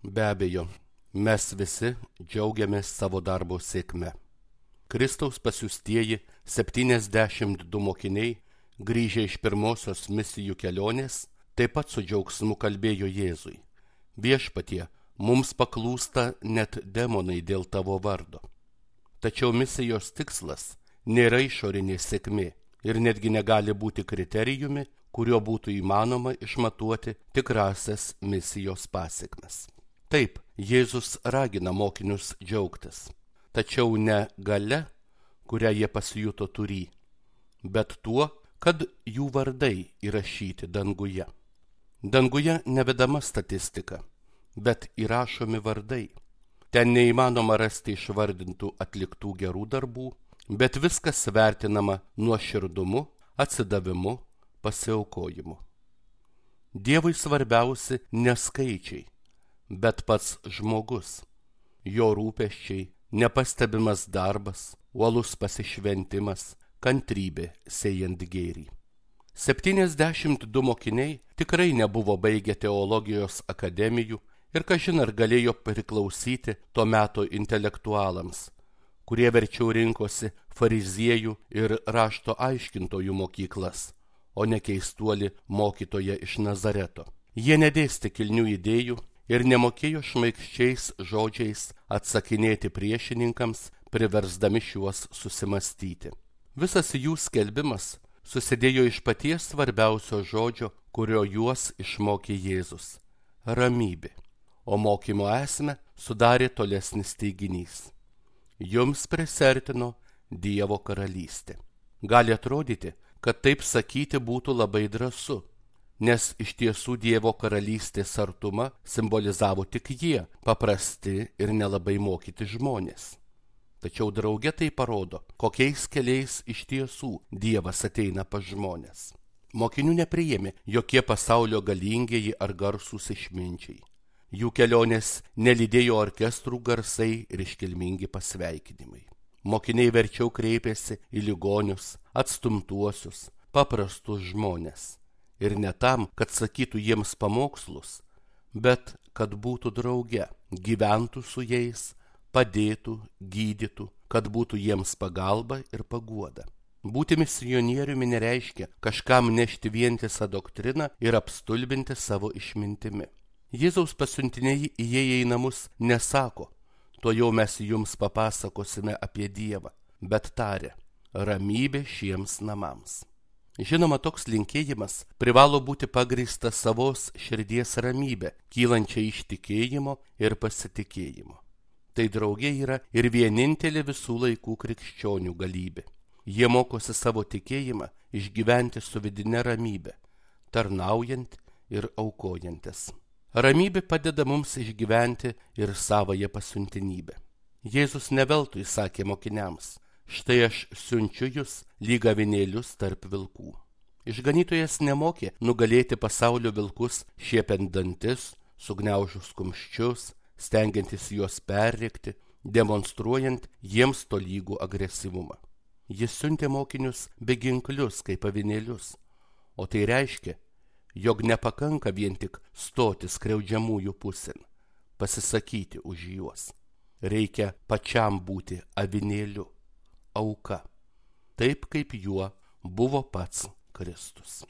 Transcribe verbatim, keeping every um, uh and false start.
Be abejo, mes visi džiaugiamės savo darbo sėkme. Kristaus pasiųstieji septyniasdešimt du mokiniai, grįžę iš pirmosios misijų kelionės, taip pat su džiaugsmu kalbėjo Jėzui: Viešpatie, mums paklūsta net demonai dėl tavo vardo. Tačiau misijos tikslas nėra išorinė sėkmė ir netgi negali būti kriterijumi, kuriuo būtų įmanoma išmatuoti tikrasias misijos pasekmes. Taip, Jėzus ragina mokinius džiaugtis, tačiau ne galia, kurią jie pasijuto turį, bet tuo, kad jų vardai įrašyti danguje. Danguje nevedama statistika, bet įrašomi vardai. Ten neįmanoma rasti išvardintų atliktų gerų darbų, bet viskas vertinama nuoširdumu, atsidavimu, pasiaukojimu. Dievui svarbiausi ne skaičiai, bet pats žmogus, jo rūpesčiai, nepastebimas darbas, uolus pasišventimas, kantrybė sėjant gėrį. septyniasdešimt du mokiniai tikrai nebuvo baigę teologijos akademijų ir kažin ar galėjo priklausyti to meto intelektualams, kurie verčiau rinkosi fariziejų ir rašto aiškintojų mokyklas, o ne keistuolį mokytoją iš Nazareto. Jie nedėstė kilnių idėjų ir nemokėjo šmaikščiais žodžiais atsakinėti priešininkams, priversdami šiuos susimastyti. Visas jų skelbimas susidėjo iš paties svarbiausio žodžio, kurio juos išmokė Jėzus – ramybė, o mokymo esmę sudarė tolesnis teiginys: jums prisertino Dievo karalystė. Gali atrodyti, kad taip sakyti būtų labai drąsu, nes iš tiesų Dievo karalystės artumą simbolizavo tik jie, paprasti ir nelabai mokyti žmonės. Tačiau drauge tai parodo, kokiais keliais iš tiesų Dievas ateina pas žmonės. Mokinių nepriėmė jokie pasaulio galingieji ar garsūs išminčiai. Jų kelionės nelydėjo orkestrų garsai ir iškilmingi pasveikinimai. Mokiniai verčiau kreipėsi į ligonius, atstumtuosius, paprastus žmonės. Ir ne tam, kad sakytų jiems pamokslus, bet kad būtų drauge, gyventų su jais, padėtų, gydytų, kad būtų jiems pagalba ir paguoda. Būti misionieriumi nereiškia kažkam nešti vientisą doktriną ir apstulbinti savo išmintimi. Jėzaus pasiuntiniai įėję į namus nesako: tuojau mes jums papasakosime apie Dievą, bet taria: ramybė šiems namams. Žinoma, toks linkėjimas privalo būti pagrįstas savos širdies ramybė, kylančia iš tikėjimo ir pasitikėjimo. Tai draugė yra ir vienintelė visų laikų krikščionių galybė. Jie mokosi savo tikėjimą išgyventi su vidine ramybė, tarnaujant ir aukojantis. Ramybė padeda mums išgyventi ir savąją pasiuntinybę. Jėzus ne veltui sakė mokiniams: štai aš siunčiu jūs lyg avinėlius tarp vilkų. Išganytojas nemokė nugalėti pasaulio vilkus šiepiant dantis, sugniaužus kumščius, stengiantis juos perrėkti, demonstruojant jiems tolygų agresyvumą. Jis siuntė mokinius beginklius kaip avinėlius, o tai reiškia, jog nepakanka vien tik stoti skriaudžiamųjų pusėn, pasisakyti už juos. Reikia pačiam būti avinėliu, auka, taip kaip juo buvo pats Kristus.